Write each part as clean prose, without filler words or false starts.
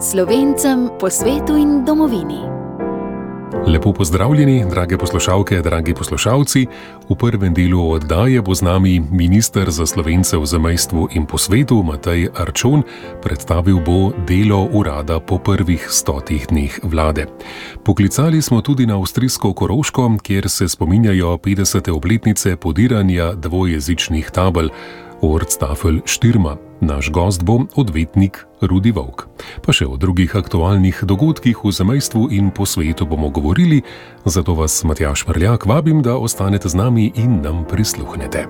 Slovencem po svetu in domovini. Lepo pozdravljeni, drage poslušalke, dragi poslušalci. V prvem delu oddaje bo z nami minister za Slovence v zamejstvu in po svetu Matej Arčon. Predstavil bo delo urada po prvih 100 dneh vlade. Poklicali smo tudi na avstrijsko Koroško, kjer se spominjajo 50. obletnice podiranja dvojezičnih tabel Ortstafel Štirma. Naš gost bo odvetnik Rudi Volk. Pa še o drugih aktualnih dogodkih v zamejstvu in po svetu bomo govorili, zato vas, Matjaž Prljak, vabim, da ostanete z nami in nam prisluhnete.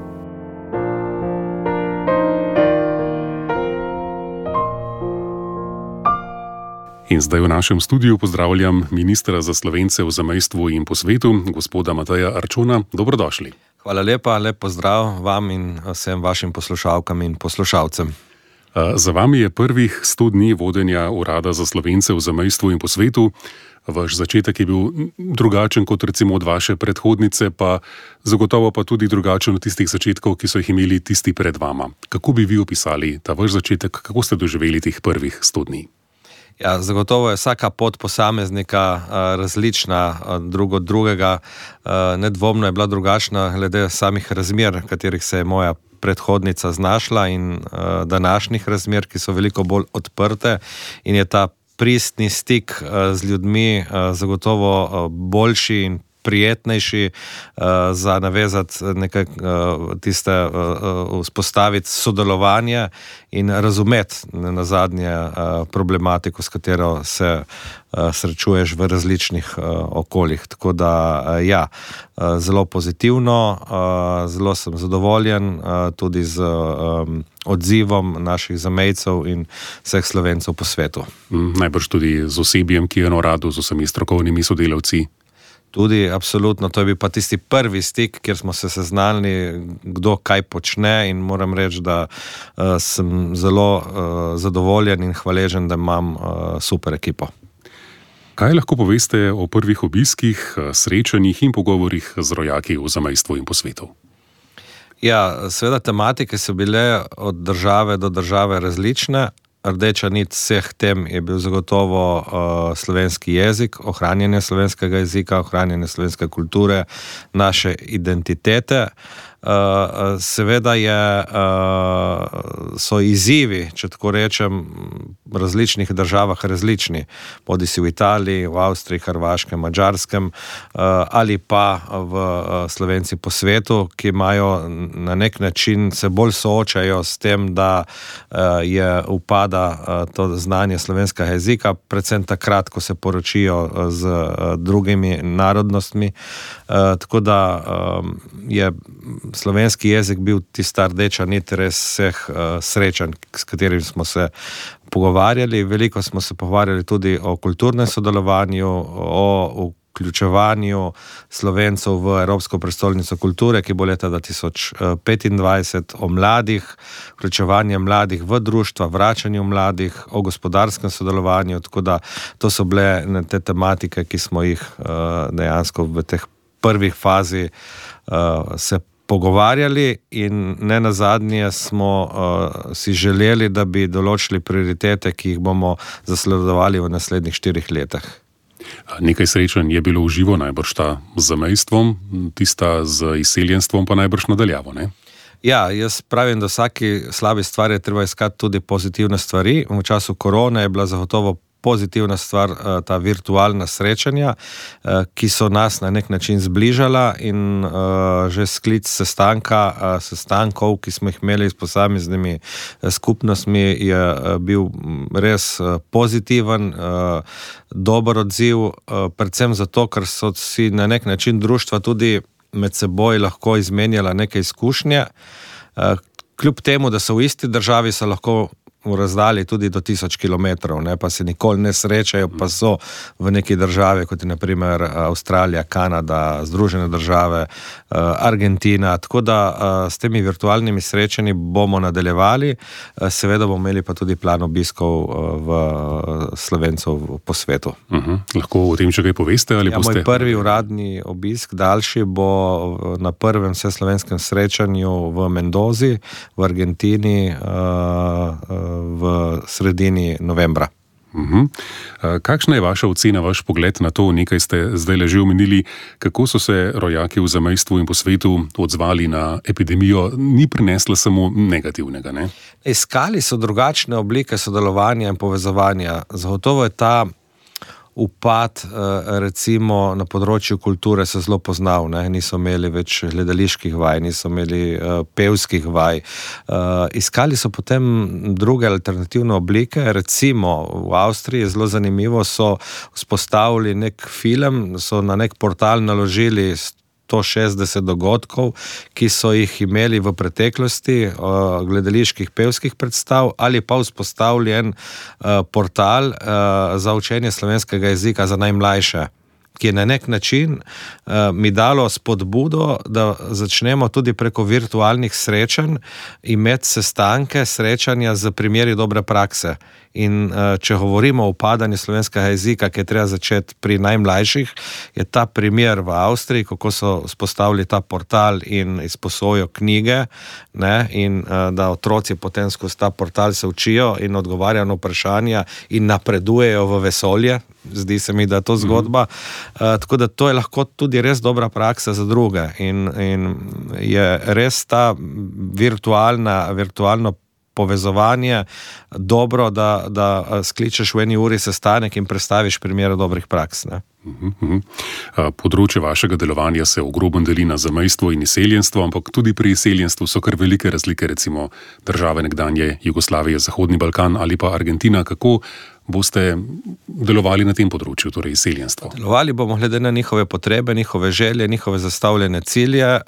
In zdaj v našem studiu pozdravljam ministra za Slovence v zamejstvu in po svetu, gospoda Mateja Arčona. Dobrodošli. Hvala lepa, lep pozdrav vam in vsem vašim poslušalkam in poslušalcem. Za vami je prvih 100 dni vodenja urada za Slovence v zamejstvu in po svetu. Vaš začetek je bil drugačen kot recimo od vaše predhodnice, pa zagotovo pa tudi drugačen od tistih začetkov, ki so jih imeli tisti pred vama. Kako bi vi opisali ta vaš začetek, kako ste doživeli teh prvih 100 dni? Ja, zagotovo je vsaka pot posameznika različna drug od drugega. Nedvomno je bila drugačna glede samih razmer, v katerih se je moja predhodnica znašla, in današnjih razmer, ki so veliko bolj odprte, in je ta pristni stik z ljudmi zagotovo boljši in prijetnejši za navezati nekaj tiste, vzpostaviti sodelovanje in razumeti nazadnje problematiko, s katero se srečuješ v različnih okoljih. Tako da ja, zelo pozitivno, zelo sem zadovoljen tudi z odzivom naših zamejcev in vseh Slovencev po svetu. Najbrž tudi z osebjem, ki je na uradu, z vsemi strokovnimi sodelavci. Tudi, absolutno, to je bil pa tisti prvi stik, kjer smo se seznanili, kdo kaj počne, in moram reči, da sem zelo zadovoljen in hvaležen, da imam super ekipo. Kaj lahko poveste o prvih obiskih, srečanjih in pogovorih z rojaki v zamejstvu in po svetu? Ja, seveda tematike so bile od države do države različne. Rdeča nit vseh tem je bil zagotovo slovenski jezik, ohranjanje slovenskega jezika, ohranjanje slovenske kulture, naše identitete. Seveda so izzivi, če tako rečem, v različnih državah različni, bodisi v Italiji, v Avstriji, Hrvaškem, Madžarskem, ali pa v Slovenci po svetu, ki imajo na nek način, se bolj soočajo s tem, da upada to znanje slovenskega jezika, predvsem takrat, ko se poročijo z drugimi narodnostmi. Tako da je slovenski jezik bil tista rdeča nit res vseh srečanj, s katerimi smo se pogovarjali. Veliko smo se pogovarjali tudi o kulturnem sodelovanju, o vključevanju Slovencev v Evropsko prestolnico kulture, ki bo leta 2025, o mladih, vključevanje mladih v društva, vračanju mladih, o gospodarskem sodelovanju. Tako da to so bile te tematike, ki smo jih dejansko v teh prvih fazi se pogovarjali, in ne nazadnje smo si želeli, da bi določili prioritete, ki jih bomo zasledovali v naslednjih 4 letih. Nekaj srečanj je bilo v živo, najbrž ta z zamejstvom, tista z izseljenstvom pa najbrž nadaljavo, ne? Ja, jaz pravim, da vsaki slabi stvari je treba iskati tudi pozitivne stvari. V času korone je bila zagotovo pozitivna stvar ta virtualna srečanja, ki so nas na nek način zbližala, in že sklic sestankov, ki smo jih imeli s posameznimi skupnostmi, je bil res pozitiven, dober odziv, predvsem zato, ker so si na nek način društva tudi med seboj lahko izmenjala neke izkušnje. Kljub temu, da so v isti državi, so lahko v razdalji tudi do 1000 kilometrov, pa se nikoli ne srečajo, pa so v neki državi, kot je na primer Avstralija, Kanada, Združene države, Argentina. Tako da s temi virtualnimi srečanji bomo nadaljevali. Seveda bomo imeli pa tudi plan obiskov v Slovencev po svetu. Lahko o tem še kaj poveste? Ali moj prvi uradni obisk, daljši, bo na prvem vseslovenskem srečanju v Mendozi, v Argentini, v sredini novembra. Kakšna je vaša ocena, vaš pogled na to, nekaj ste zdaj že omenili, kako so se rojaki v zamejstvu in po svetu odzvali na epidemijo, ni prinesla samo negativnega, ne? Iskali so drugačne oblike sodelovanja in povezovanja. Zagotovo je ta upad, recimo na področju kulture se zelo poznal, ne? Niso imeli več gledaliških vaj, niso imeli pevskih vaj. Iskali so potem druge alternativne oblike, recimo v Avstriji je zelo zanimivo, so vzpostavili nek film, so na nek portal naložili 160 dogodkov, ki so jih imeli v preteklosti, gledaliških pevskih predstav, ali pa vzpostavljen portal za učenje slovenskega jezika za najmlajše, ki je na nek način mi dalo spodbudo, da začnemo tudi preko virtualnih srečanj imeti sestanke, srečanja z primeri dobre prakse. In če govorimo o upadanju slovenskega jezika, ki je treba začeti pri najmlajših, je ta primer v Avstriji, kako so vzpostavili ta portal in izposojo knjige, ne, in da otroci potem skozi ta portal se učijo in odgovarjajo na vprašanja in napredujejo v vesolje. Zdi se mi, da je to zgodba. Tako da to je lahko tudi res dobra praksa za druge. In je res ta virtualno povezovanje dobro, da skličeš v eni uri sestanek in predstaviš primere dobrih praks, ne? Področje vašega delovanja se ogromno deli na zamejstvo in izseljenstvo, ampak tudi pri izseljenstvu so kar velike razlike, recimo države nekdanje Jugoslavije, Zahodni Balkan ali pa Argentina. Kako boste delovali na tem področju, torej izseljenstvo? Delovali bomo glede na njihove potrebe, njihove želje, njihove zastavljene cilje,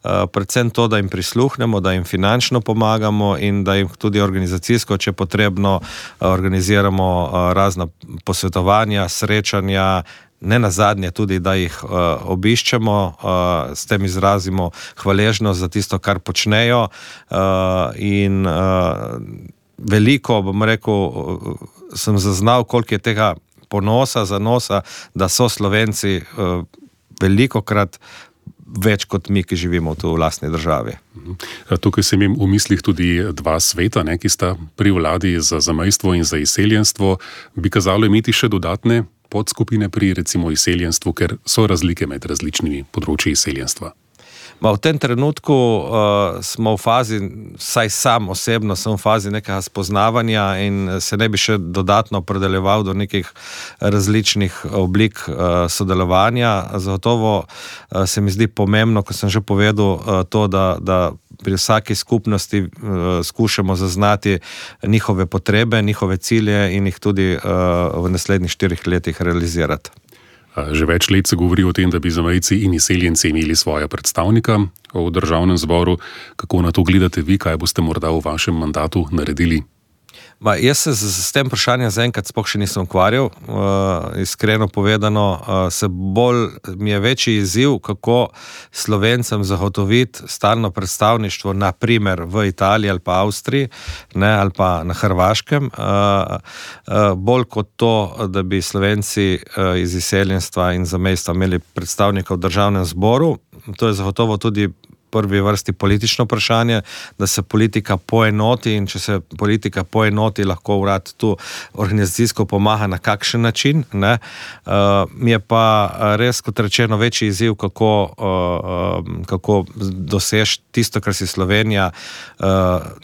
predvsem to, da jim prisluhnemo, da jim finančno pomagamo in da jim tudi organizacijsko, če potrebno, organiziramo razna posvetovanja, srečanja, ne nazadnje tudi, da jih obiščemo, s tem izrazimo hvaležnost za tisto, kar počnejo, in veliko, bom rekel, sem zaznal, koliko je tega ponosa, zanosa, da so Slovenci velikokrat več kot mi, ki živimo tu v lastni državi. Tukaj sem imel v mislih tudi dva sveta, ne, ki sta pri vladi za zamejstvo in za izseljenstvo. Bi kazalo imeti še dodatne podskupine pri recimo izseljenstvu, ker so razlike med različnimi področji izseljenstva? V tem trenutku smo v fazi, vsaj sam osebno sem v fazi nekega spoznavanja in se ne bi še dodatno opredeljeval do nekih različnih oblik sodelovanja. Zagotovo se mi zdi pomembno, ko sem že povedal, to, da pri vsaki skupnosti skušamo zaznati njihove potrebe, njihove cilje in jih tudi v naslednjih 4 letih realizirati. Že več let se govori o tem, da bi zamejci in izseljenci imeli svoja predstavnika v državnem zboru. Kako na to gledate vi, kaj boste morda v vašem mandatu naredili? Jaz se s tem vprašanjem zaenkrat sploh še nisem ukvarjal. Iskreno povedano, mi je večji izziv, kako Slovencem zagotoviti stalno predstavništvo, na primer v Italiji ali pa Avstriji, ne, ali pa na Hrvaškem, bolj kot to, da bi Slovenci iz izseljenstva in zamejstva imeli predstavnika v državnem zboru. To je zagotovo tudi prvi vrsti politično vprašanje, da se politika poenoti, in če se politika poenoti, lahko urad tu organizacijsko pomaga na kakšen način, ne. Mi je pa res, kot rečeno, večji izziv, kako doseči tisto, kar si Slovenija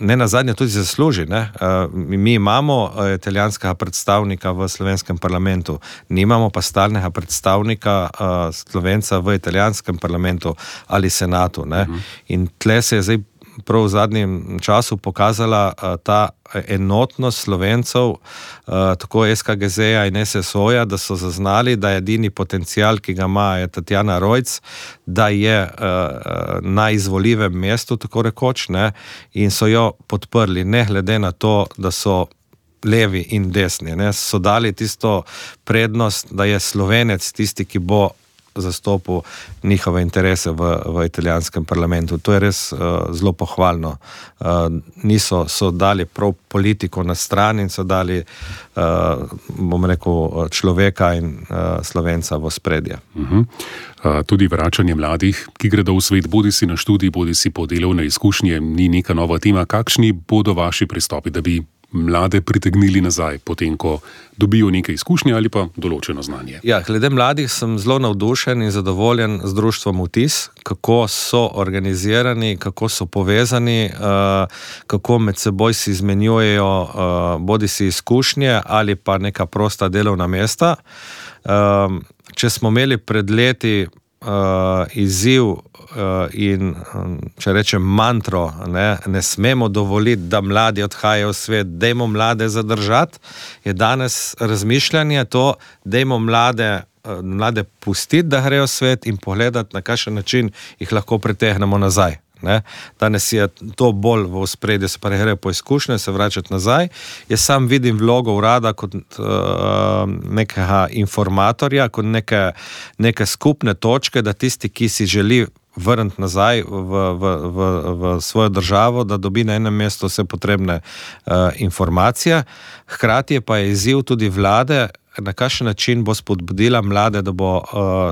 ne nazadnje tudi zasluži, ne. Mi imamo italijanskega predstavnika v slovenskem parlamentu, nimamo pa stalnega predstavnika Slovenca v italijanskem parlamentu ali senatu, ne. In tle se je zdaj prav v zadnjem času pokazala ta enotnost Slovencev, tako SKGZ-ja in SSO-ja, da so zaznali, da je edini potencial, ki ga ima, je Tatjana Rojc, da je na izvoljivem mestu, tako rekoč, ne, in so jo podprli, ne glede na to, da so levi in desni, ne, so dali tisto prednost, da je Slovenec tisti, ki bo zastopil njihove interese v italijanskem parlamentu. To je res zelo pohvalno. So dali prav politiko na stran in so dali, bom rekel, človeka in Slovenca v ospredje. Tudi vračanje mladih, ki gredo v svet, bodi si na študij, bodi si po delovne izkušnje, ni neka nova tema. Kakšni bodo vaši pristopi, da bi mlade pritegnili nazaj, potem ko dobijo nekaj izkušnje ali pa določeno znanje? Ja, glede mladih sem zelo navdušen in zadovoljen z društvom Vtis, kako so organizirani, kako so povezani, kako med seboj si izmenjujejo bodisi izkušnje ali pa neka prosta delovna mesta. Če smo imeli pred leti izziv in, če rečem, mantro, ne smemo dovoliti, da mladi odhajajo v svet, dajmo mlade zadržati, je danes razmišljanje to, dajmo mlade pustiti, da grejo v svet in pogledati, na kakšen način jih lahko pritegnemo nazaj. Danes je to bolj v ospredju, se pa grejo po izkušnje, se vračati nazaj. Jaz sam vidim vlogo urada kot nekega informatorja, kot neke skupne točke, da tisti, ki si želi vrniti nazaj v svojo državo, da dobi na enem mestu vse potrebne informacije. Hkrati pa je izziv tudi vlade, na kakšen način bo spodbudila mlade, da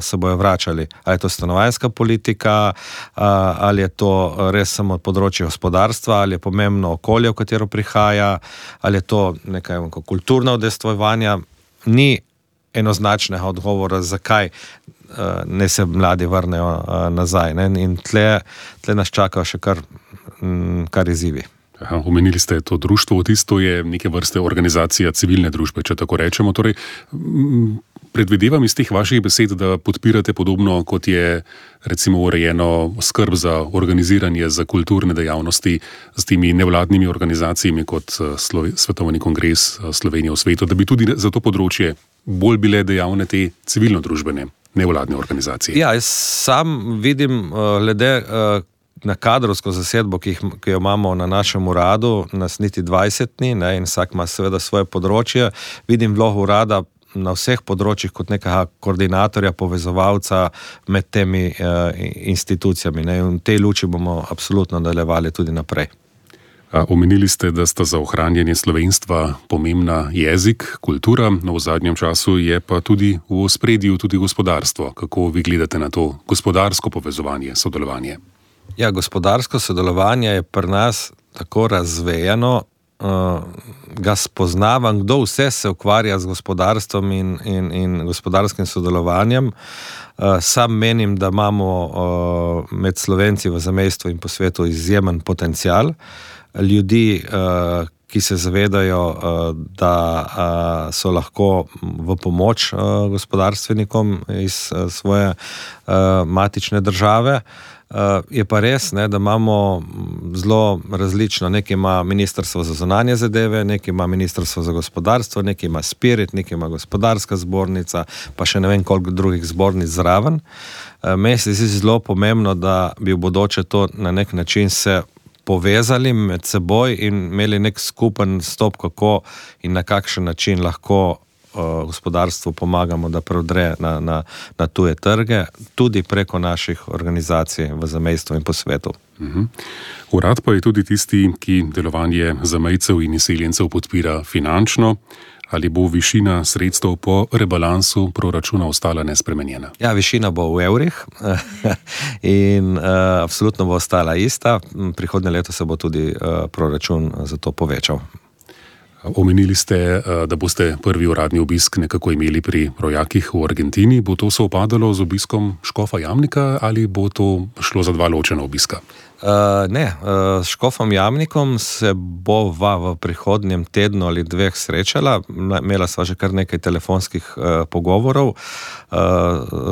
se bojo vračali. Ali je to stanovanjska politika, ali je to res samo področje gospodarstva, ali je pomembno okolje, v katero prihaja, ali je to nekaj kulturno udejstvovanja. Ni enoznačnega odgovora, zakaj ne se mladi vrnejo nazaj. In tle nas čakajo še kar izzivi. Omenili ste to društvo Vtis, to je neke vrste organizacija civilne družbe, če tako rečemo. Torej, predvidevam iz teh vaših besed, da podpirate podobno, kot je recimo urejeno skrb za organiziranje za kulturne dejavnosti s temi nevladnimi organizacijami kot Svetovni kongres Slovenije v svetu, da bi tudi za to področje bolj bile dejavne te civilno-družbene nevladne organizacije. Ja, jaz sam vidim glede na kadrovsko zasedbo, ki jo imamo na našem uradu, nas niti 20 ni, in vsak ima seveda svoje področje. Vidim vlogo urada na vseh področjih kot nekega koordinatorja, povezovalca med temi institucijami. In v tej luči bomo absolutno nadaljevali tudi naprej. Omenili ste, da sta za ohranjanje slovenstva pomembna jezik, kultura, no v zadnjem času je pa tudi v ospredju tudi gospodarstvo. Kako vi gledate na to gospodarsko povezovanje, sodelovanje? Ja, gospodarsko sodelovanje je pri nas tako razvejano, ga spoznavam, kdo vse se ukvarja z gospodarstvom in gospodarskim sodelovanjem. Sam menim, da imamo med Slovenci v zamejstvu in po svetu izjemen potencial. Ljudi, ki se zavedajo, da so lahko v pomoč gospodarstvenikom iz svoje matične države. Je pa res, da imamo zelo različno. Nekaj ima Ministrstvo za zunanje zadeve, nekaj ima Ministrstvo za gospodarstvo, nekaj ima Spirit, nekaj ima Gospodarska zbornica, pa še ne vem koliko drugih zbornic zraven. Meni se zdi zelo pomembno, da bi v bodoče to na nek način se povezali med seboj in imeli nek skupen stop, kako in na kakšen način lahko gospodarstvu pomagamo, da prodre na tuje trge, tudi preko naših organizacij v zamejstvu in po svetu. Urad pa je tudi tisti, ki delovanje zamejcev in izseljencev podpira finančno. Ali bo višina sredstev po rebalansu proračuna ostala nespremenjena? Ja, višina bo v evrih in absolutno bo ostala ista. Prihodnje leto se bo tudi proračun za to povečal. Omenili ste, da boste prvi uradni obisk nekako imeli pri rojakih v Argentini. Bo to sovpadalo z obiskom škofa Jamnika ali bo to šlo za dva ločena obiska? Ne, s škofom Jamnikom se bova v prihodnjem tednu ali dveh srečala. Imela sva že kar nekaj telefonskih pogovorov.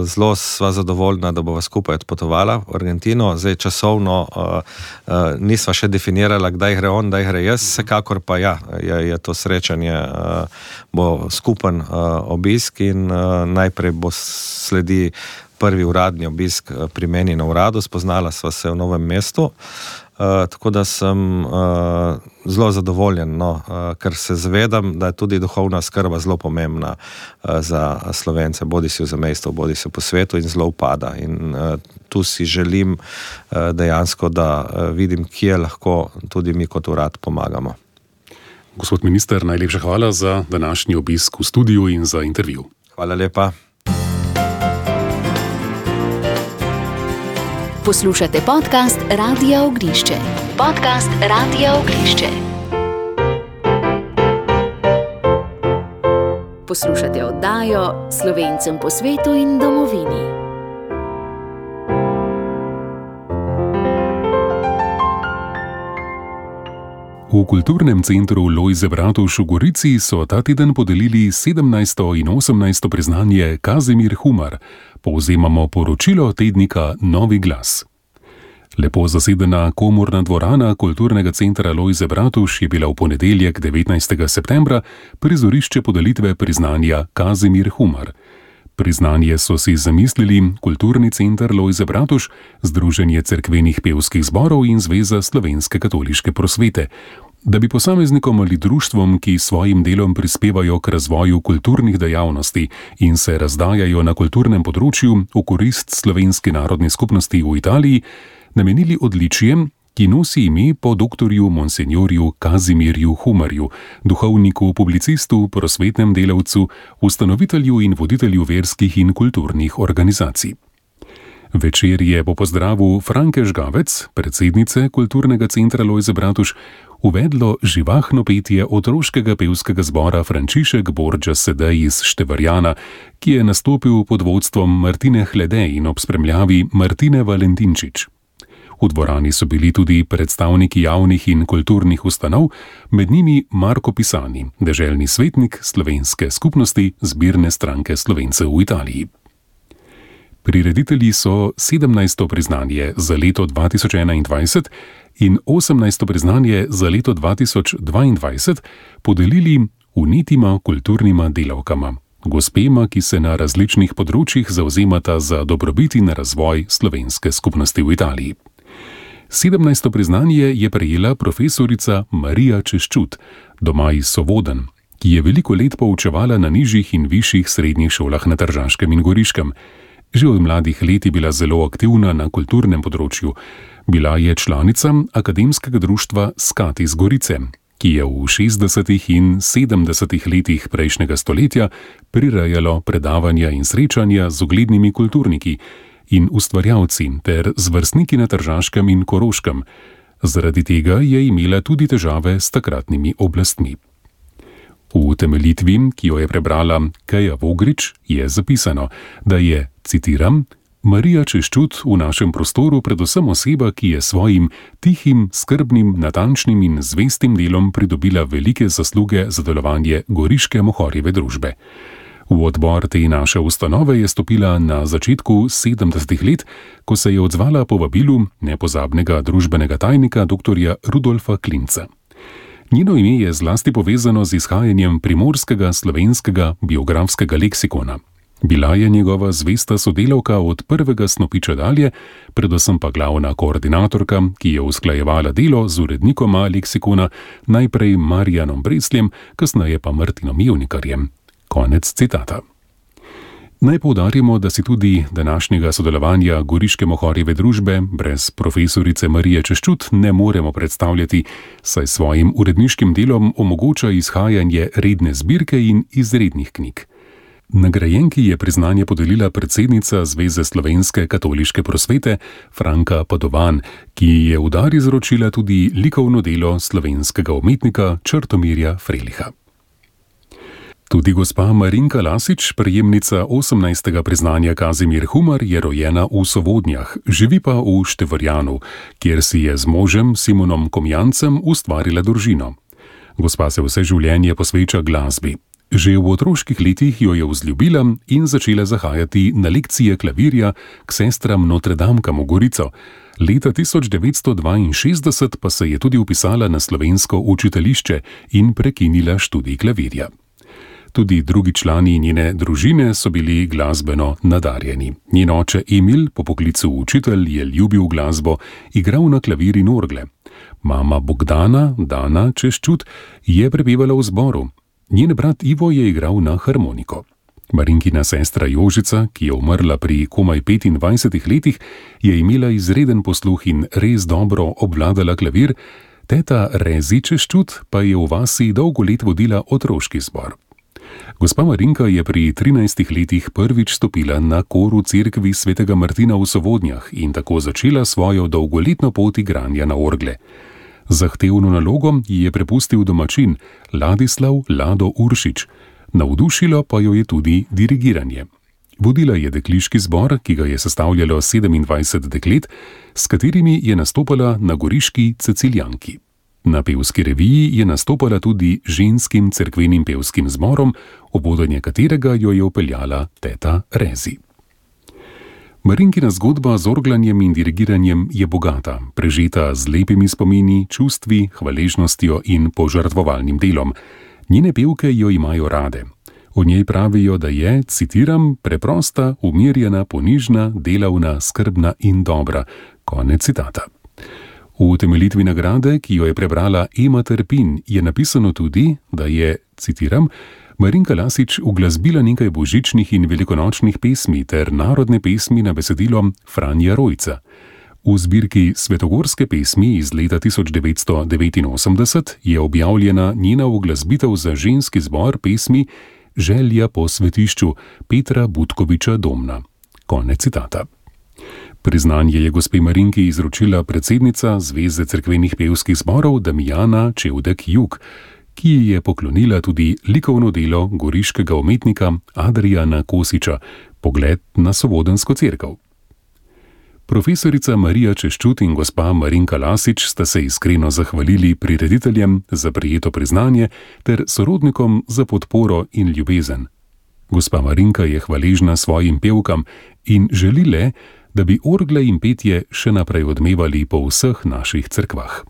Zelo sva zadovoljna, da bova skupaj odpotovala v Argentino. Zdaj časovno nisva še definirala, kdaj gre on, kdaj gre jaz. Vsekakor pa ja, je to srečanje, bo skupen obisk in najprej bo sledi prvi uradni obisk pri meni na uradu. Spoznala sva se v Novem mestu, tako da sem zelo zadovoljen, ker se zavedam, da je tudi duhovna skrba zelo pomembna za Slovence, bodisi v zamejstvu, bodisi po svetu in zelo upada. In tu si želim dejansko, da vidim, kje lahko tudi mi kot urad pomagamo. Gospod minister, najlepša hvala za današnji obisk v studiu in za intervju. Hvala lepa. Poslušate podcast Radia Oglišče. Podcast Radia Oglišče. Poslušate oddajo Slovencem po svetu in domovini. V Kulturnem centru Lojze Bratuš v Gorici so ta teden podelili 17. in 18. priznanje Kazimir Humar. Povzemamo poročilo tednika Novi glas. Lepo zasedena komorna dvorana Kulturnega centra Lojze Bratuš je bila v ponedeljek 19. septembra prizorišče podelitve priznanja Kazimir Humar. Priznanje so si zamislili Kulturni center Lojze Bratuš, Združenje cerkvenih pevskih zborov in Zveza slovenske katoliške prosvete, da bi posameznikom ali društvom, ki svojim delom prispevajo k razvoju kulturnih dejavnosti in se razdajajo na kulturnem področju v korist slovenski narodni skupnosti v Italiji, namenili odličje, ki nosi ime po doktorju monsenjorju Kazimirju Humarju, duhovniku, publicistu, prosvetnem delavcu, ustanovitelju in voditelju verskih in kulturnih organizacij. Večerje po pozdravu Franke Žgavec, predsednice Kulturnega centra Lojze Bratuš, uvedlo živahno petje otroškega pevskega zbora Frančišek Borgia Sedej iz Števarjana, ki je nastopil pod vodstvom Martine Hlede in ob spremljavi Martine Valentinčič. V dvorani so bili tudi predstavniki javnih in kulturnih ustanov, med njimi Marko Pisani, deželni svetnik slovenske skupnosti Zbirne stranke Slovencev v Italiji. Prireditelji so 17. priznanje za leto 2021 in 18. priznanje za leto 2022 podelili unitima kulturnima delavkama, gospema, ki se na različnih področjih zavzemata za dobrobit in razvoj slovenske skupnosti v Italiji. 17. priznanje je prejela profesorica Marija Češčut, doma iz Sovodenj, ki je veliko let poučevala na nižjih in višjih srednjih šolah na Tržaškem in Goriškem. Že od mladih let je bila zelo aktivna na kulturnem področju. Bila je članica akademskega društva Skat iz Gorice, ki je v 60. in 70. letih prejšnjega stoletja prirejalo predavanja in srečanja z uglednimi kulturniki in ustvarjalci ter z vrstniki na Tržaškem in Koroškem. Zaradi tega je imela tudi težave s takratnimi oblastmi. V utemeljitvi, ki jo je prebrala Keja Vogrič, je zapisano, da je, citiram, Marija Češčut v našem prostoru predvsem oseba, ki je svojim tihim, skrbnim, natančnim in zvestim delom pridobila velike zasluge za delovanje goriške Mohorjeve družbe. V odbor te naše ustanove je stopila na začetku 70. let, ko se je odzvala povabilu nepozabnega družbenega tajnika dr. Rudolfa Klinca. Njeno ime je zlasti povezano z izhajanjem primorskega slovenskega biografskega leksikona. Bila je njegova zvesta sodelavka od prvega snopiča dalje, predvsem pa glavna koordinatorka, ki je usklajevala delo z urednikoma leksikona, najprej Marijanom Bresljem, kasneje pa Martinom Jevnikarjem. Konec citata. Naj poudarimo, da si tudi današnjega sodelovanja goriške Mohorjeve družbe brez profesorice Marije Češčut ne moremo predstavljati, saj svojim uredniškim delom omogoča izhajanje redne zbirke in izrednih knjig. Nagrajenki je priznanje podelila predsednica Zveze slovenske katoliške prosvete Franka Padovan, ki je v dar izročila tudi likovno delo slovenskega umetnika Črtomirja Freliha. Tudi gospa Marinka Lasič, prejemnica 18. priznanja Kazimir Humar, je rojena v Sovodnjah, živi pa v Števarjanu, kjer si je z možem Simonom Komjancem ustvarila družino. Gospa se vse življenje posveča glasbi. Že v otroških letih jo je vzljubila in začela zahajati na lekcije klavirja k sestram Notredamkam v Gorico. Leta 1962 pa se je tudi vpisala na slovensko učiteljišče in prekinila študij klavirja. Tudi drugi člani njene družine so bili glasbeno nadarjeni. Njen oče Emil, po poklicu učitelj, je ljubil glasbo, igral na klavir in orgle. Mama Bogdana, Dana Češčut, je prepevala v zboru. Njen brat Ivo je igral na harmoniko. Marinkina sestra Jožica, ki je umrla pri komaj 25 letih, je imela izreden posluh in res dobro obvladala klavir, teta Rezi Češčut pa je v vasi dolgo let vodila otroški zbor. Gospa Marinka je pri 13 letih prvič stopila na kor v cerkvi svetega Martina v Sovodnjah in tako začela svojo dolgoletno pot igranja na orgle. Zahtevno nalogo ji je prepustil domačin Ladislav Lado Uršič. Navdušilo pa jo je tudi dirigiranje. Vodila je dekliški zbor, ki ga je sestavljalo 27 deklet, s katerimi je nastopala na goriški Ceciljanki. Na pevski reviji je nastopala tudi ženskim cerkvenim pevskim zborom, ob vodenje katerega jo je upeljala teta Rezi. Marinkina zgodba z orglanjem in dirigiranjem je bogata, prežeta z lepimi spomini, čustvi, hvaležnostjo in požrtvovalnim delom. Njene pevke jo imajo rade. O njej pravijo, da je, citiram, preprosta, umirjena, ponižna, delavna, skrbna in dobra. Konec citata. V utemeljitvi nagrade, ki jo je prebrala Ema Trpin, je napisano tudi, da je, citiram, Marinka Lasič uglasbila nekaj božičnih in velikonočnih pesmi ter narodne pesmi na besedilo Franja Rojca. V zbirki Svetogorske pesmi iz leta 1989 je objavljena njena uglasbitev za ženski zbor pesmi Želja po svetišču Petra Butkoviča Domna. Konec citata. Priznanje je gospe Marinki izročila predsednica Zveze cerkvenih pevskih zborov Damijana Čevdek-Jug, ki ji je poklonila tudi likovno delo goriškega umetnika Adrijana Kosiča Pogled na Sovodensko cerkev. Profesorica Marija Češčut in gospa Marinka Lasič sta se iskreno zahvalili prirediteljem za prejeto priznanje ter sorodnikom za podporo in ljubezen. Gospa Marinka je hvaležna svojim pevkam in želi le, da bi orgle in petje še naprej odmevali po vseh naših cerkvah.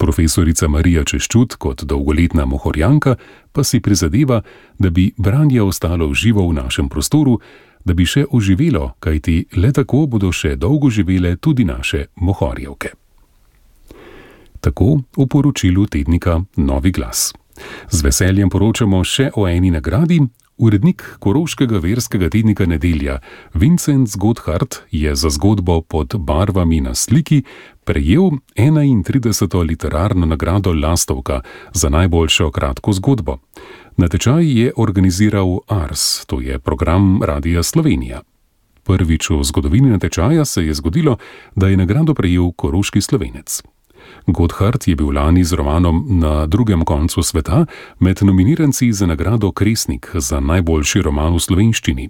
Profesorica Marija Češčut kot dolgoletna mohorjanka pa si prizadeva, da bi branje ostalo živo v našem prostoru, da bi še oživelo, kajti le tako bodo še dolgo živele tudi naše mohorjevke. Tako v poročilu tednika Novi glas. Z veseljem poročamo še o eni nagradi. Urednik koroškega verskega tednika Nedelja, Vincent Godhard, je za zgodbo Pod barvami na sliki prejel 31. literarno nagrado Lastovka za najboljšo kratko zgodbo. Natečaj je organiziral Ars, to je program Radia Slovenija. Prvič v zgodovini natečaja se je zgodilo, da je nagrado prejel koroški Slovenec. Godhard je bil lani z romanom Na drugem koncu sveta med nominiranci za nagrado Kresnik za najboljši roman v slovenščini.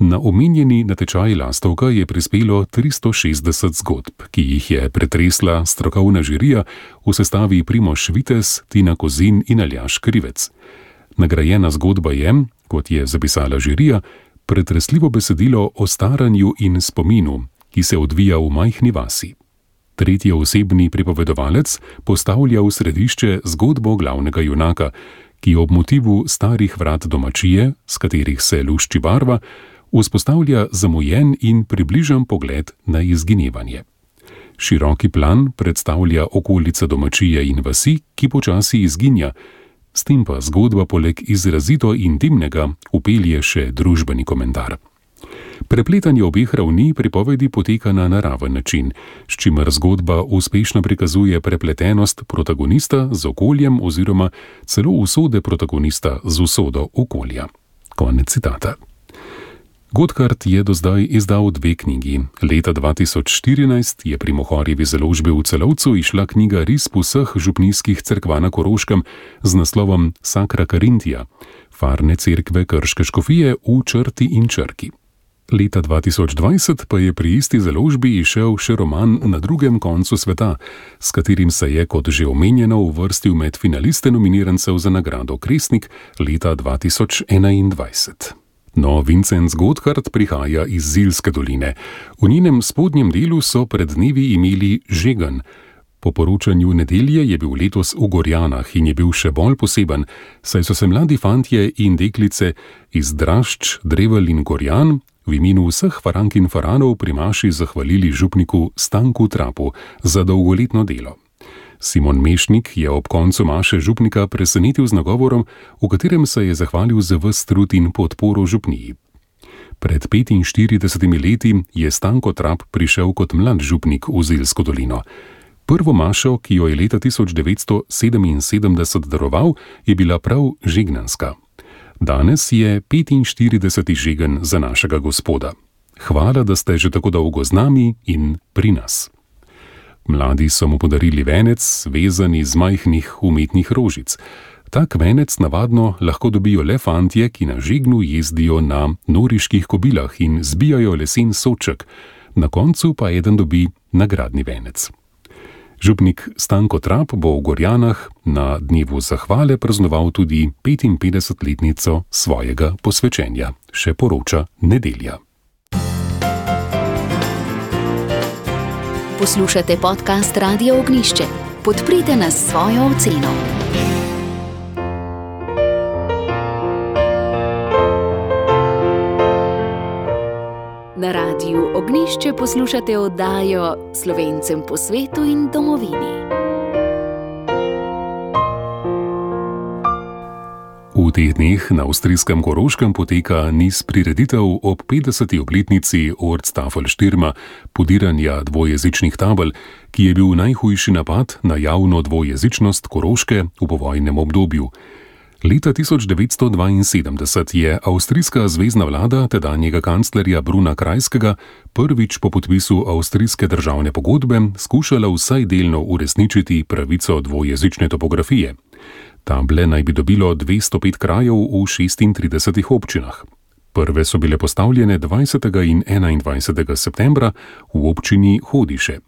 Na omenjeni natečaj Lastovka je prispelo 360 zgodb, ki jih je pretresla strokovna žirija v sestavi Primož Vitez, Tina Kozin in Aljaž Krivec. Nagrajena zgodba je, kot je zapisala žirija, pretresljivo besedilo o staranju in spominu, ki se odvija v majhni vasi. Tretjeosebni pripovedovalec postavlja v središče zgodbo glavnega junaka, ki ob motivu starih vrat domačije, s katerih se lušči barva, vzpostavlja zamujen in približan pogled na izginevanje. Široki plan predstavlja okolica domačije in vasi, ki počasi izginja, s tem pa zgodba poleg izrazito intimnega vpelje še družbeni komentar. Prepletanje obeh ravni pripovedi poteka na naraven način, s čimer zgodba uspešno prikazuje prepletenost protagonista z okoljem oziroma celo usode protagonista z usodo okolja. Konec citata. Godhard je do zdaj izdal 2 knjigi. Leta 2014 je pri Mohorjevi založbi v Celovcu išla knjiga Risb vseh župnijskih cerkva na Koroškem z naslovom Sacra Carintija, farne cerkve krške škofije v črti in črki. Leta 2020 pa je pri isti založbi izšel še roman Na drugem koncu sveta, s katerim se je, kot že omenjeno, uvrstil med finaliste nominirancev za nagrado Kresnik leta 2021. No, Vincent Godhard prihaja iz Zilske doline. V njenem spodnjem delu so pred dnevi imeli žegen. Po poročanju Nedelje je bil letos v Gorjanah in je bil še bolj poseben, saj so se mladi fantje in deklice iz Drašč, Drevelj in Gorjan v imenu vseh farank in faranov pri maši zahvalili župniku Stanku Trapu za dolgoletno delo. Simon Mešnik je ob koncu maše župnika presenetil z nagovorom, v katerem se je zahvalil za ves trud in podporo župniji. Pred 45 leti je Stanko Trap prišel kot mlad župnik v Zilsko dolino. Prvo mašo, ki jo je leta 1977 daroval, je bila prav žegnanska. Danes je 45. žegen za našega Gospoda. Hvala, da ste že tako dolgo z nami in pri nas. Mladi so mu podarili venec, vezan iz majhnih umetnih rožic. Tak venec navadno lahko dobijo le fantje, ki na žegnu jezdijo na noriških kobilah in zbijajo lesen sodček, na koncu pa eden dobi nagradni venec. Župnik Stanko Trap bo v Gorjanah na dnevu zahvale praznoval tudi 55-letnico svojega posvečenja, še poroča Nedelja. Poslušate podcast Radia Ognjišče. Podprite nas s svojo oceno. Na Radiu Ognjišče poslušate oddajo Slovencem po svetu in domovini. V teh dneh na avstrijskem Koroškem poteka niz prireditev ob 50. obletnici Ortstafelstürma, podiranja dvojezičnih tabel, ki je bil najhujši napad na javno dvojezičnost Koroške v povojnem obdobju. Leta 1972 je avstrijska zvezna vlada tedanjega kanclerja Bruna Kreiskyga prvič po podpisu avstrijske državne pogodbe skušala vsaj delno uresničiti pravico dvojezične topografije. Table naj bi dobilo 205 krajev v 36 občinah. Prve so bile postavljene 20. in 21. septembra v občini Hodiše.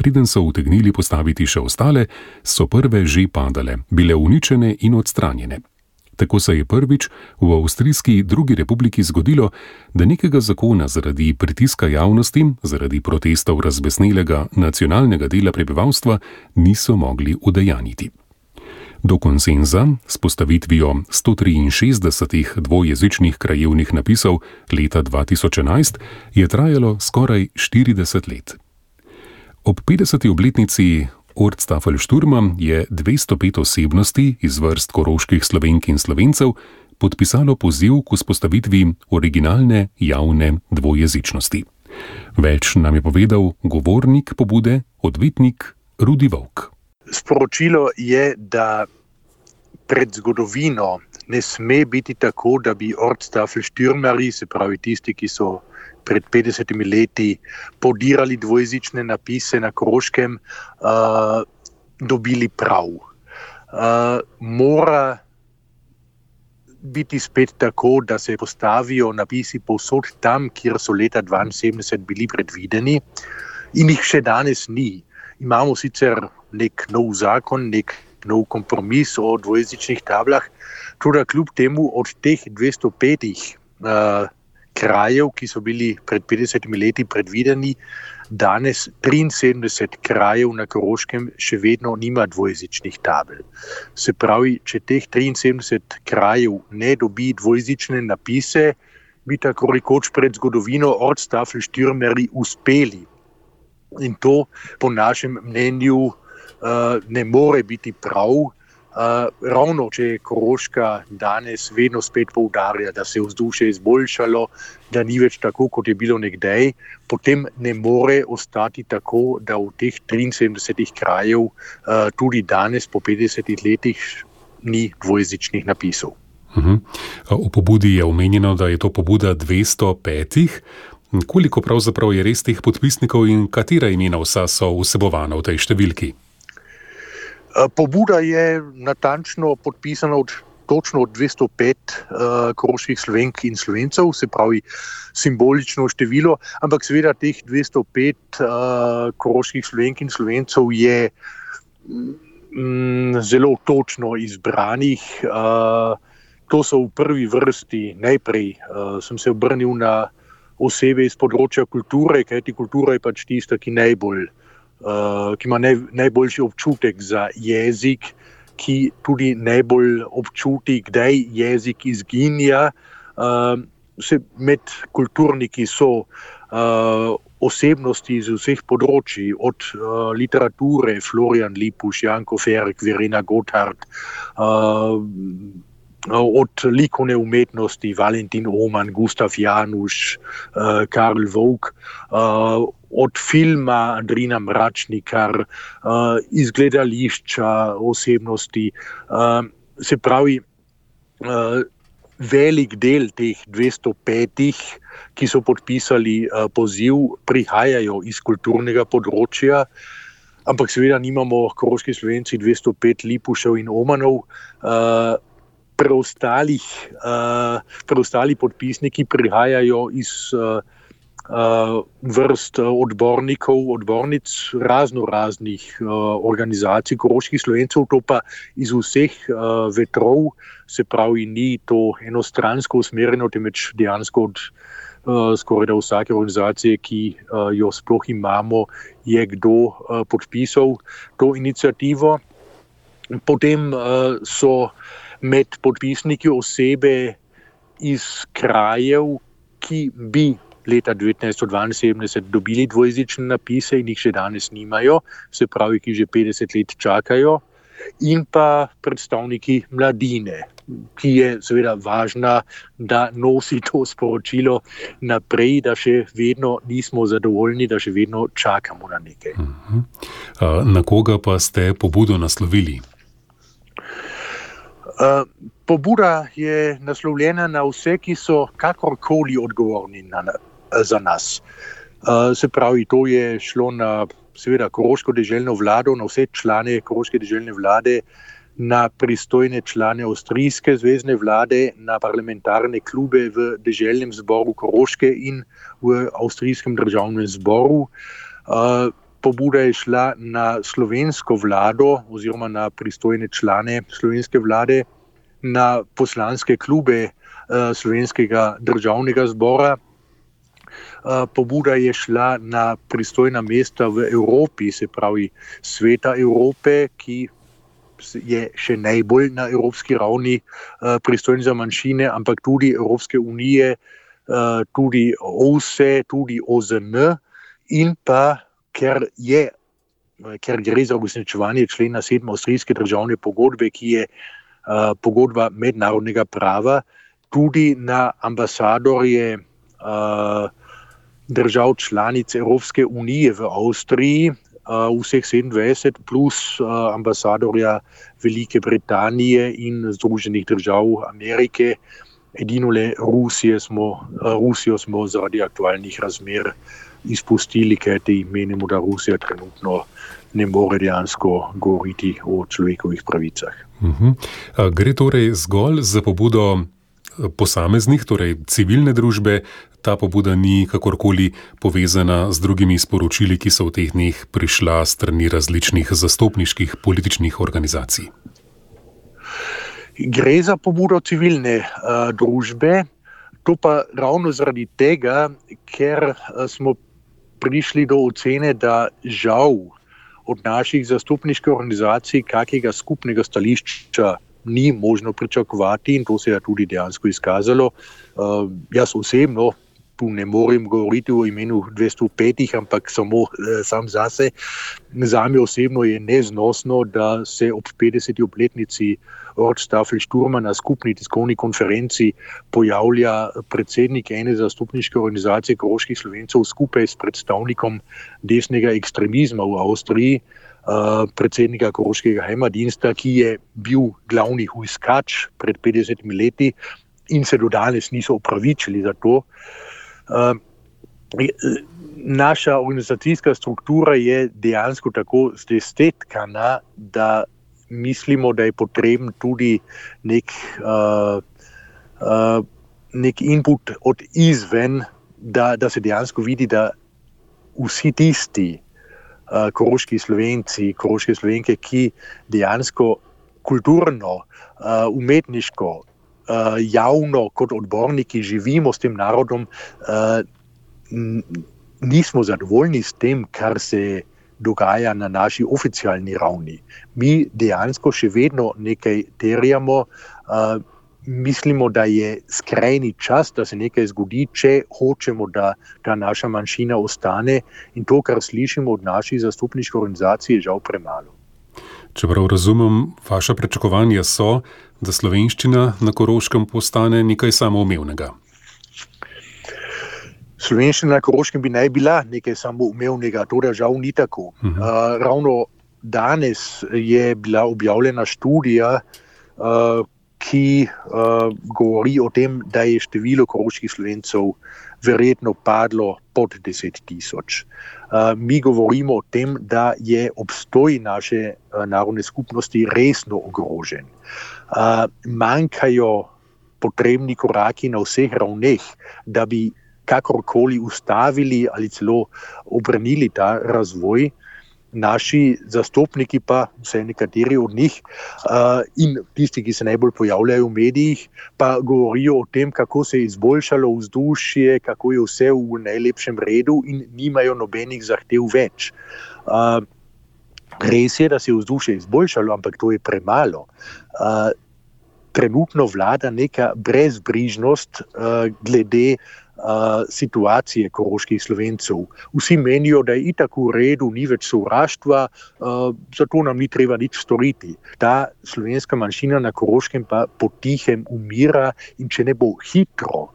Preden so utegnili postaviti še ostale, so prve že padale, bile uničene in odstranjene. Tako se je prvič v avstrijski drugi republiki zgodilo, da nekega zakona zaradi pritiska javnosti, zaradi protestov razbesnelega nacionalnega dela prebivalstva niso mogli udejanjiti. Do konsenza s postavitvijo 163 dvojezičnih krajevnih napisov leta 2011 je trajalo skoraj 40 let. Ob 50. obletnici Ortstafelstürma je 205 osebnosti iz vrst koroških Slovenk in Slovencev podpisalo poziv k vzpostavitvi originalne javne dvojezičnosti. Več nam je povedal govornik pobude, odvetnik Rudi Volk. Sporočilo je, da pred zgodovino ne sme biti tako, da bi Ortstafelstürmerji, se pravi tisti, ki so pred 50 leti podirali dvojezične napise na Koroškem, dobili prav. Mora biti spet tako, da se postavijo napisi povsod tam, kjer so leta 1972 bili predvideni in jih še danes ni. Imamo sicer nek nov zakon, nek nov kompromis o dvojezičnih tablah, tudi kljub temu od teh 205 krajev, ki so bili pred 50 leti predvideni, danes 73 krajev na Koroškem še vedno nima dvojezičnih tabel. Se pravi, če teh 73 krajev ne dobi dvojezične napise, bi tako rekoč pred zgodovino Ortstafelstürmerji uspeli. In to po našem mnenju ne more biti prav. Ravno, če je Koroška danes vedno spet poudarja, da se je vzdušje izboljšalo, da ni več tako, kot je bilo nekdaj, potem ne more ostati tako, da v teh 73 krajev tudi danes po 50 letih ni dvojezičnih napisov. V pobudi je omenjeno, da je to pobuda 205. Koliko pravzaprav je res teh podpisnikov in katera imena vsa so vsebovana v tej številki? Pobuda je natančno podpisana točno od 205 koroških Slovenk in Slovencev, se pravi simbolično število, ampak seveda teh 205 koroških Slovenk in Slovencev je zelo točno izbranih. To so v prvi vrsti, najprej sem se obrnil na osebe iz področja kulture, kajti kultura je pač tista, ki ima najboljši občutek za jezik, ki tudi najbolj občuti, kdaj jezik izginja. Med kulturniki so osebnosti iz vseh področji, od literature, Florian Lipuš, Janko Ferk, Verena Gotthard, od likovne umetnosti, Valentin Oman, Gustav Januš, Karl Vovk, od filma Andrina Mračnikar, iz gledališča osebnosti. Se pravi, velik del teh 205, ki so podpisali poziv, prihajajo iz kulturnega področja, ampak seveda nimamo koroški Slovenci 205 Lipušev in Omanov. Preostali podpisniki prihajajo iz vrst odbornic raznih organizacij koroških Slovencev, to pa iz vseh vetrov, se pravi, ni to enostransko usmerjeno, temveč dejansko od skoraj da vsake organizacije, ki jo sploh imamo, je kdo podpisal to inicijativo. Potem so med podpisniki osebe iz krajev, ki bi leta 1972 dobili dvojezične napise in jih še danes nimajo, se pravi, ki že 50 let čakajo, in pa predstavniki mladine, ki je seveda važna, da nosi to sporočilo naprej, da še vedno nismo zadovoljni, da še vedno čakamo na nekaj. Na koga pa ste pobudo naslovili? Pobuda je naslovljena na vse, ki so kakorkoli odgovorni za nas. Se pravi, to je šlo na seveda koroško deželno vlado, na vse člane koroške deželne vlade, na pristojne člane avstrijske zvezne vlade, na parlamentarne klube v deželnem zboru Koroške in v avstrijskem državnem zboru. Pobuda je šla na slovensko vlado oziroma na pristojne člane slovenske vlade, na poslanske klube slovenskega državnega zbora. Pobuda je šla na pristojna mesta v Evropi, se pravi Sveta Evrope, ki je še najbolj na evropski ravni pristojen za manjšine, ampak tudi Evropske unije, tudi OVSE, tudi OZN, in pa ker gre za uresničevanje člena 7 avstrijske državne pogodbe, ki je pogodba mednarodnega prava, tudi na ambasadorje držav članic Evropske unije v Avstriji, vseh 27 plus ambasadorja Velike Britanije in Združenih držav Amerike. Edino le Rusijo smo zaradi aktualnih razmer izpustili, kajti menimo, da Rusija trenutno ne more dejansko govoriti o človekovih pravicah. Gre torej zgolj za pobudo posameznih, torej civilne družbe, ta pobuda ni kakorkoli povezana z drugimi sporočili, ki so v teh dneh prišla s strani različnih zastopniških političnih organizacij. Gre za pobudo civilne družbe, to pa ravno zaradi tega, ker smo prišli do ocene, da žal od naših zastopniških organizacij kakega skupnega stališča ni možno pričakovati, in to se je tudi dejansko izkazalo. Jaz osebno tu ne morem govoriti o imenu 205, ampak samo sam zase. Zame osebno je neznosno, da se ob 50. obletnici Ortstafel-Sturma na skupni tiskovni konferenci pojavlja predsednik ene zastopniške organizacije koroških Slovencev skupaj s predstavnikom desnega ekstremizma v Avstriji, predsednika koroškega Heimatdiensta, ki je bil glavni hujskač pred 50 leti in se do danes niso opravičili za to. Naša organizacijska struktura je dejansko tako zdestetkana, da mislimo, da je potreben tudi nek input od izven, da se dejansko vidi, da vsi tisti koroški Slovenci, koroške Slovenke, ki dejansko kulturno, umetniško, javno kot odborniki živimo s tem narodom, nismo zadovoljni s tem, kar se dogaja na naši oficialni ravni. Mi dejansko še vedno nekaj terjamo, mislimo, da je skrajni čas, da se nekaj zgodi, če hočemo, da ta naša manjšina ostane, in to, kar slišimo od naših zastopniških organizacij, je žal premalo. Čeprav razumem, vaša pričakovanja so, da slovenščina na Koroškem postane nekaj samoumevnega. Slovenščina na Koroškem bi naj bila nekaj samoumevnega, to da žal ni tako. Ravno danes je bila objavljena študija, ki govori o tem, da je število koroških Slovencev verjetno padlo pod 10 tisoč. Mi govorimo o tem, da je obstoj naše narodne skupnosti resno ogrožen. Manjkajo potrebni koraki na vseh ravneh, da bi kakorkoli ustavili ali celo obrnili ta razvoj. Naši zastopniki pa, vsaj nekateri od njih, in tisti, ki se najbolj pojavljajo v medijih, pa govorijo o tem, kako se je izboljšalo vzdušje, kako je vse v najlepšem redu in nimajo nobenih zahtev več. Res je, da se je vzdušje izboljšalo, ampak to je premalo. Trenutno vlada neka brezbrižnost glede situacije koroških Slovencev. Vsi menijo, da je itak v redu, ni več sovraštva, zato nam ni treba nič storiti. Ta slovenska manjšina na Koroškem pa potihem umira in če ne bo hitro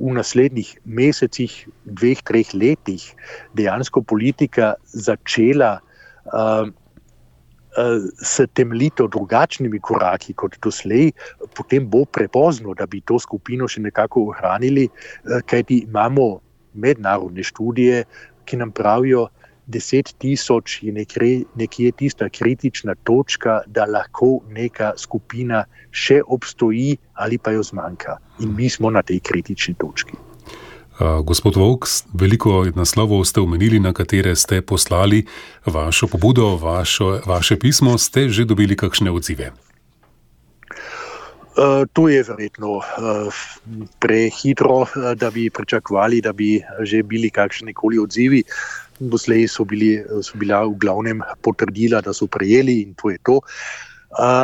v naslednjih mesecih, 2-3 letih dejansko politika začela s temeljito drugačnimi koraki kot doslej, potem bo prepozno, da bi to skupino še nekako ohranili, kajti imamo mednarodne študije, ki nam pravijo, 10 tisoč je nekje tista kritična točka, da lahko neka skupina še obstoji ali pa jo zmanjka. In mi smo na tej kritični točki. Gospod Volk, veliko naslovov ste omenili, na katere ste poslali vašo pobudo, vaše pismo. Ste že dobili kakšne odzive? To je verjetno prehitro, da bi pričakovali, da bi že bili kakšnikoli odzivi. Doslej so bila v glavnem potrdila, da so prejeli in to je to.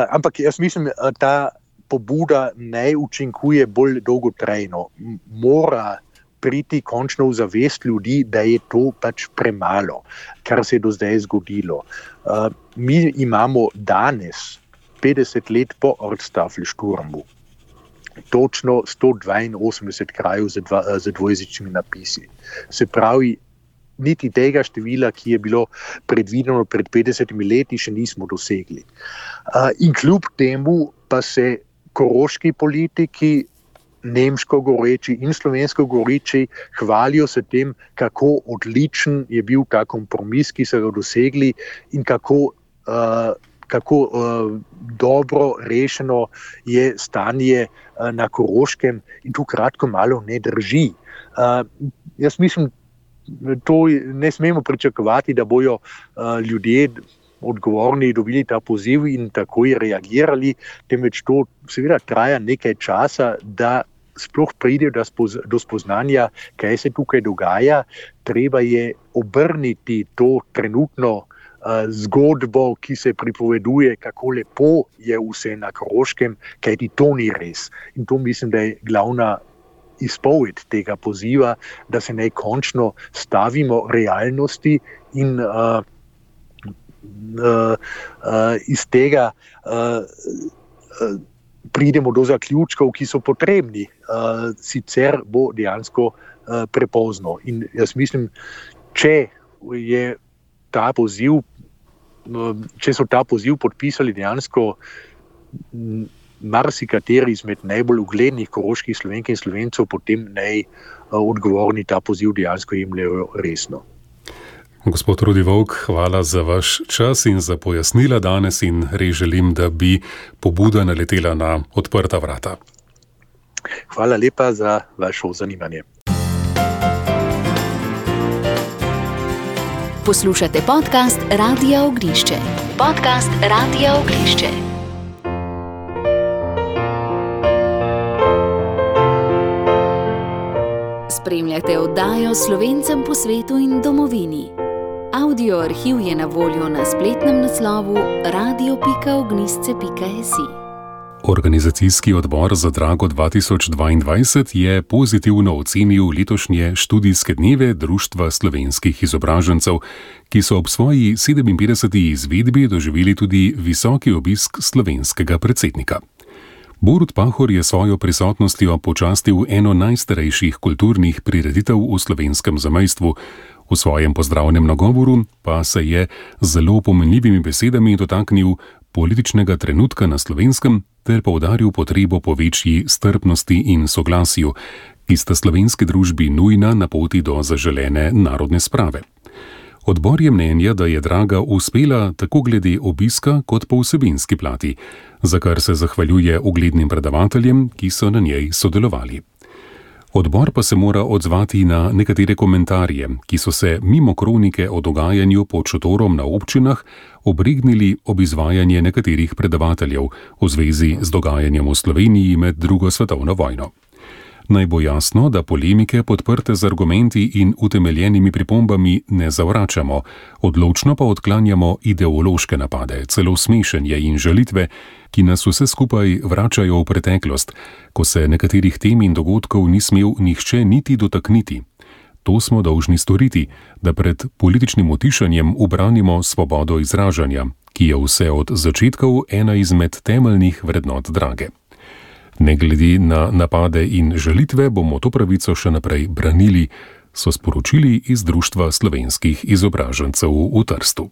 Ampak jaz mislim, ta pobuda naj učinkuje bolj dolgotrajno. Mora priti končno v zavest ljudi, da je to pač premalo, kar se je do zdaj zgodilo. Mi imamo danes, 50 let po Ortstafelsturmu, točno 182 krajev z dvojezičnimi napisi. Se pravi, niti tega števila, ki je bilo predvideno pred 50 leti, še nismo dosegli. In kljub temu pa se koroški politiki, nemško govoreči in slovensko govoreči, hvalijo se tem, kako odličen je bil ta kompromis, ki so ga dosegli in kako dobro rešeno je stanje na Koroškem in to kratko malo ne drži. Jaz mislim, to ne smemo pričakovati, da bojo ljudje odgovorni dobili ta poziv in takoj reagirali, temveč to seveda traja nekaj časa, da sploh pride do spoznanja, kaj se tukaj dogaja. Treba je obrniti to trenutno zgodbo, ki se pripoveduje, kako lepo je vse na Koroškem, kajti to ni res. In to mislim, da je glavna izpoved tega poziva, da se naj končno stavimo realnosti in iz tega pridemo do zaključkov, ki so potrebni. Sicer bo dejansko prepozno. In jaz mislim, če so ta poziv podpisali dejansko marsikateri izmed najbolj uglednih koroških Slovenk in Slovencev, potem naj odgovorni ta poziv dejansko jemljejo resno. Gospod Rudi Volk, hvala za vaš čas in za pojasnila danes in res želim, da bi pobuda naletela na odprta vrata. Hvala lepa za vašo zanimanje. Poslušate podcast Radia Ognišče. Podcast Radia Ognišče. Spremljate oddajo Slovencem po svetu in domovini. Audio arhiv je na voljo na spletnem naslovu radio.ognisce.si. Organizacijski odbor za Drago 2022 je pozitivno ocenil letošnje študijske dneve Društva slovenskih izobražencev, ki so ob svoji 57. izvedbi doživeli tudi visoki obisk slovenskega predsednika. Borut Pahor je svojo prisotnostjo počastil eno najstarejših kulturnih prireditev v slovenskem zamejstvu. V svojem pozdravnem nagovoru pa se je z zelo pomenljivimi besedami dotaknil političnega trenutka na Slovenskem ter poudaril potrebo po večji strpnosti in soglasju, ki sta slovenski družbi nujna na poti do zaželene narodne sprave. Odbor je mnenja, da je Draga uspela tako glede obiska kot po vsebinski plati, za kar se zahvaljuje uglednim predavateljem, ki so na njej sodelovali. Odbor pa se mora odzvati na nekatere komentarje, ki so se mimo kronike o dogajanju pod šotorom na občinah obregnili ob izvajanje nekaterih predavateljev v zvezi z dogajanjem v Sloveniji med drugo svetovno vojno. Naj bo jasno, da polemike podprte z argumenti in utemeljenimi pripombami ne zavračamo, odločno pa odklanjamo ideološke napade, celo smešenje in žalitve, ki nas vse skupaj vračajo v preteklost, ko se nekaterih tem in dogodkov ni smel nihče niti dotakniti. To smo dolžni storiti, da pred političnim utišanjem ubranimo svobodo izražanja, ki je vse od začetkov ena izmed temeljnih vrednot Drage. Ne glede na napade in žalitve bomo to pravico še naprej branili, so sporočili iz Društva slovenskih izobražencev v Trstu.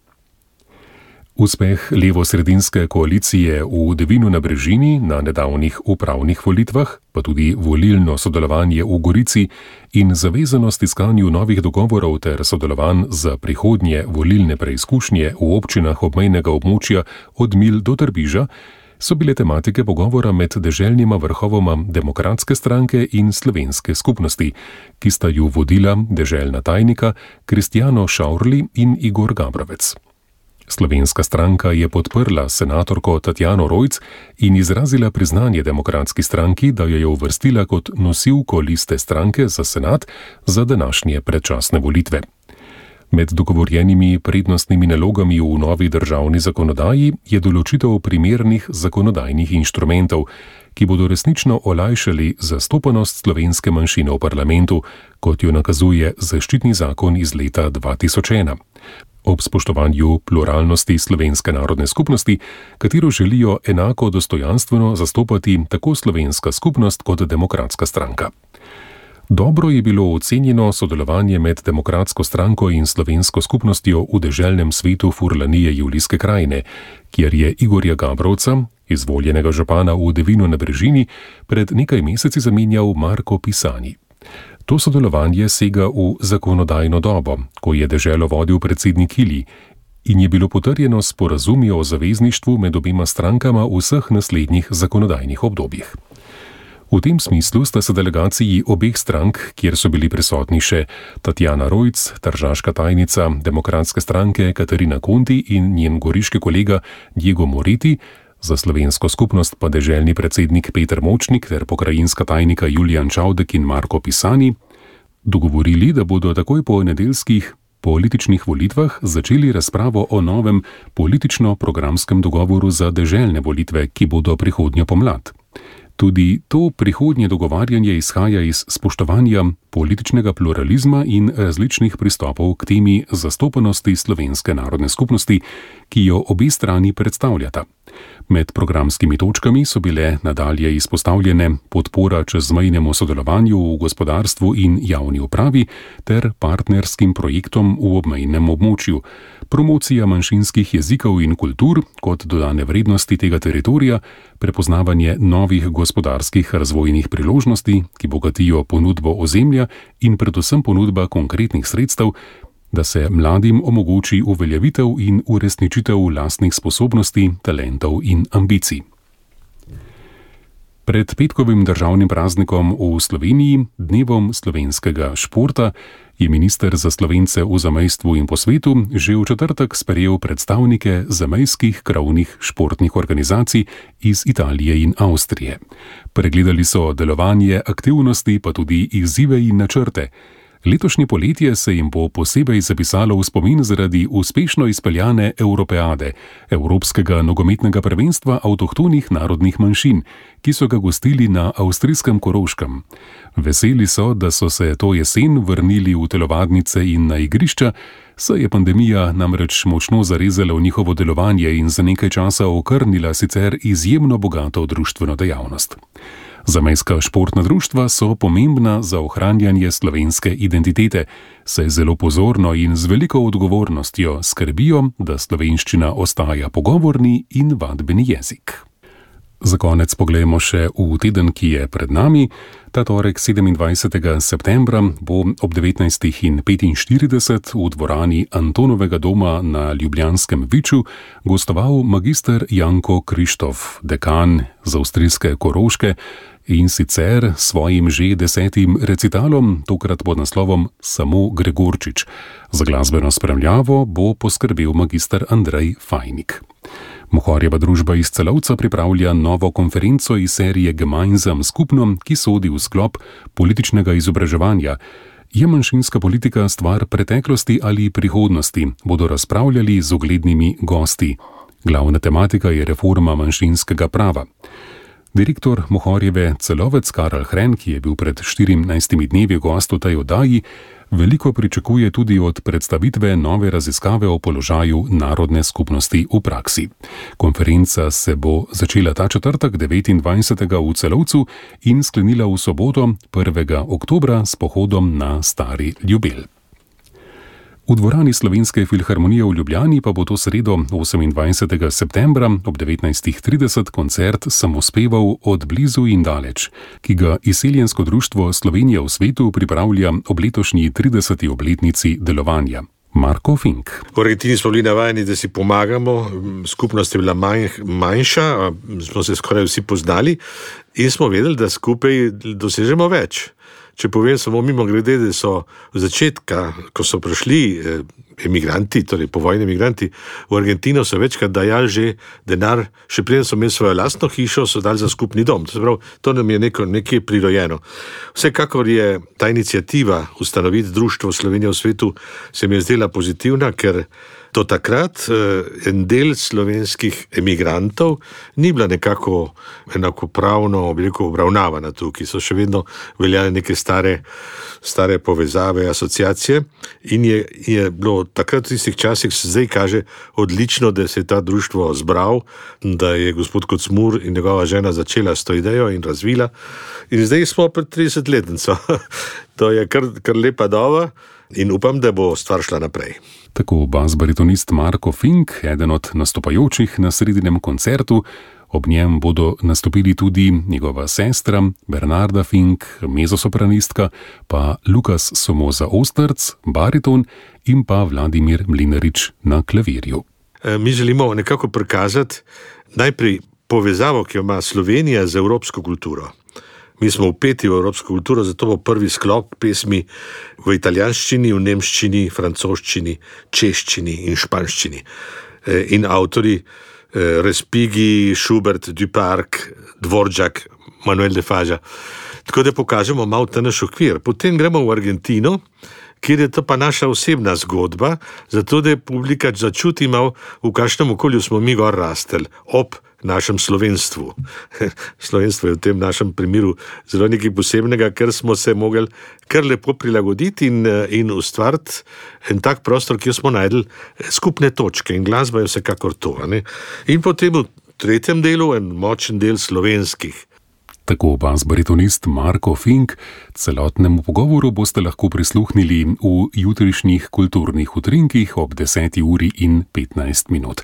Uspeh levosredinske koalicije v Devinu na Brežini na nedavnih upravnih volitvah, pa tudi volilno sodelovanje v Gorici in zavezanost iskanju novih dogovorov ter sodelovanj za prihodnje volilne preizkušnje v občinah obmejnega območja od Mil do Trbiža so bile tematike pogovora med deželnima vrhovoma Demokratske stranke in slovenske skupnosti, ki sta ju vodila deželna tajnika Kristjano Šaurli in Igor Gabrovec. Slovenska stranka je podprla senatorko Tatjano Rojc in izrazila priznanje Demokratski stranki, da jo je uvrstila kot nosilko liste stranke za senat za današnje predčasne volitve. Med dogovorjenimi prednostnimi nalogami v novi državni zakonodaji je določitev primernih zakonodajnih inštrumentov, ki bodo resnično olajšali zastopanost slovenske manjšine v parlamentu, kot jo nakazuje zaščitni zakon iz leta 2001. Ob spoštovanju pluralnosti slovenske narodne skupnosti, katero želijo enako dostojanstveno zastopati tako slovenska skupnost kot Demokratska stranka. Dobro je bilo ocenjeno sodelovanje med Demokratsko stranko in slovensko skupnostjo v deželnem svetu Furlanije Julijske krajine, kjer je Igorja Gabrovca, izvoljenega župana v Devinu na Brežini, pred nekaj meseci zamenjal Marko Pisani. To sodelovanje sega v zakonodajno dobo, ko je deželo vodil predsednik Ili, in je bilo potrjeno s sporazumi o zavezništvu med obema strankama v vseh naslednjih zakonodajnih obdobjih. V tem smislu sta se delegaciji obeh strank, kjer so bili prisotni še Tatjana Rojc, tržaška tajnica Demokratske stranke Katarina Konti in njen goriški kolega Diego Moreti, za slovensko skupnost pa deželni predsednik Peter Močnik ter pokrajinska tajnika Julijan Čavdek in Marko Pisani, dogovorili, da bodo takoj po nedeljskih političnih volitvah začeli razpravo o novem politično-programskem dogovoru za deželne volitve, ki bodo prihodnjo pomlad. Tudi to prihodnje dogovarjanje izhaja iz spoštovanja političnega pluralizma in različnih pristopov k temi zastopanosti slovenske narodne skupnosti, ki jo obe strani predstavljata. Med programskimi točkami so bile nadalje izpostavljene podpora čezmejnemu sodelovanju v gospodarstvu in javni upravi ter partnerskim projektom v obmejnem območju, promocija manjšinskih jezikov in kultur kot dodane vrednosti tega teritorija, prepoznavanje novih gospodarskih razvojnih priložnosti, ki bogatijo ponudbo ozemlja in predvsem ponudba konkretnih sredstev, da se mladim omogoči uveljavitev in uresničitev lastnih sposobnosti, talentov in ambicij. Pred petkovim državnim praznikom v Sloveniji, dnevom slovenskega športa, je minister za Slovence v zamejstvu in po svetu že v četrtek sprejel predstavnike zamejskih krovnih športnih organizacij iz Italije in Avstrije. Pregledali so delovanje, aktivnosti, pa tudi izzive in načrte. Letošnje poletje se jim bo posebej zapisalo v spomin zaradi uspešno izpeljane Europeade, Evropskega nogometnega prvenstva avtohtonih narodnih manjšin, ki so ga gostili na avstrijskem Koroškem. Veseli so, da so se to jesen vrnili v telovadnice in na igrišča, saj je pandemija namreč močno zarezala v njihovo delovanje in za nekaj časa okrnila sicer izjemno bogato društveno dejavnost. Zamejska športna društva so pomembna za ohranjanje slovenske identitete, saj zelo pozorno in z veliko odgovornostjo skrbijo, da slovenščina ostaja pogovorni in vadbeni jezik. Za konec poglejmo še v teden, ki je pred nami. Ta torek 27. septembra bo ob 19:45 v dvorani Antonovega doma na Ljubljanskem Viču gostoval magister Janko Krištof, dekan z avstrijske Koroške, in sicer svojim že 10. recitalom, tokrat pod naslovom Samo Gregorčič. Za glasbeno spremljavo bo poskrbel magister Andrej Fajnik. Mohorjeva družba iz Celovca pripravlja novo konferenco iz serije Gemeinsam skupno, ki sodi v sklop političnega izobraževanja. Je manjšinska politika stvar preteklosti ali prihodnosti, bodo razpravljali z uglednimi gosti. Glavna tematika je reforma manjšinskega prava. Direktor Mohorjeve Celovec Karel Hren, ki je bil pred 14 dnevi gost v tej oddaji, veliko pričakuje tudi od predstavitve nove raziskave o položaju narodne skupnosti v praksi. Konferenca se bo začela ta četrtek 29. v Celovcu in sklenila v soboto 1. oktobra s pohodom na Stari Ljubelj. V dvorani Slovenske filharmonije v Ljubljani pa bo to sredo 28. septembra ob 19:30 koncert Samospevov od blizu in daleč, ki ga Izseljensko društvo Slovenija v svetu pripravlja ob letošnji 30. obletnici delovanja. Marko Fink. V Argentini smo bili navajeni, da si pomagamo, skupnost je bila manjša, smo se skoraj vsi poznali in smo vedeli, da skupaj dosežemo več. Če povem samo mimogrede, da so v začetka, ko so prišli emigranti, torej povojni emigranti v Argentino, so večkrat dajali že denar, še preden so imeli svojo lastno hišo, so dali za skupni dom. To nam je nekaj prirojeno. Vsekakor je ta iniciativa ustanoviti društvo Slovenija v svetu se mi je zdela pozitivna, ker do takrat en del slovenskih emigrantov ni bila nekako enakopravno obravnavana tukaj. So še vedno veljale neke stare povezave, asociacije in je bilo takrat v tistih časih, se zdaj kaže odlično, da se je ta društvo zbral, da je gospod Kocmur in njegova žena začela s to idejo in razvila. In zdaj smo pred 30-letnico. To je kar lepa doba in upam, da bo stvar šla naprej. Tako bas-baritonist Marko Fink, eden od nastopajočih na sredinem koncertu. Ob njem bodo nastopili tudi njegova sestra Bernarda Fink, mezzosopranistka, pa Lukas Somoza-Osterc, bariton in pa Vladimir Mlinarič na klavirju. Mi želimo nekako prikazati najprej povezavo, ki jo ima Slovenija z evropsko kulturo. Mi smo vpeti v evropsko kulturo, zato bo prvi sklop pesmi v italijanščini, v nemščini, francoščini, češčini in španščini. In avtori Respighi, Schubert, Duparc, Dvoržak, Manuel de Falla. Tako da pokažemo malo ta naš okvir. Potem gremo v Argentino, kjer je to pa naša osebna zgodba, zato da je publika začuti malo, v kakšnem okolju smo mi gor rasteli, ob našem slovenstvu. Slovenstvo je v tem našem primeru zelo nekaj posebnega, ker smo se mogli kar lepo prilagoditi in ustvariti en tak prostor, kjer smo najdli skupne točke in glasba je vsekakor to. In potem v tretjem delu en močen del slovenskih. Tako bas-baritonist Marko Fink. Celotnemu pogovoru boste lahko prisluhnili v jutrišnjih kulturnih utrinkih ob 10:15.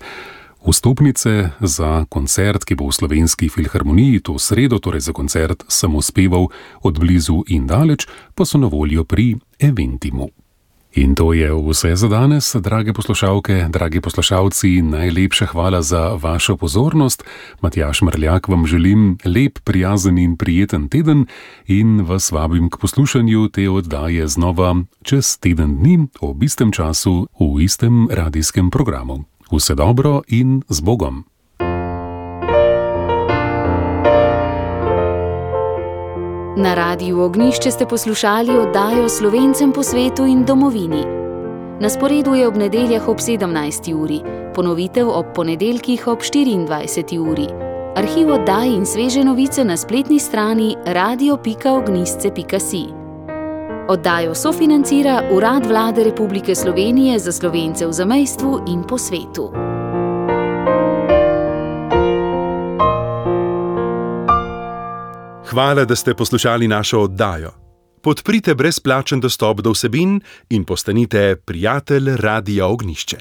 Vstopnice za koncert, ki bo v Slovenski filharmoniji to sredo, torej za koncert Samospevov od blizu in daleč, pa so na voljo pri Eventimu. In to je vse za danes, drage poslušalke, dragi poslušalci, najlepša hvala za vašo pozornost. Matjaž Mrljak vam želim lep, prijazen in prijeten teden in vas vabim k poslušanju te oddaje znova čez teden dni ob istem času v istem radijskem programu. Vse dobro in z Bogom. Na Radiu Ognjišče ste poslušali oddajo Slovencem po svetu in domovini. Na sporedu je ob nedeljah ob 17. uri, ponovitev ob ponedeljkih ob 24. uri. Arhiv oddaj in sveže novice na spletni strani radio.ognjišče.si. Oddajo sofinancira Urad Vlade Republike Slovenije za Slovence v zamejstvu in po svetu. Hvala, da ste poslušali našo oddajo. Podprite brezplačen dostop do vsebin in postanite prijatelj Radia Ognjišče.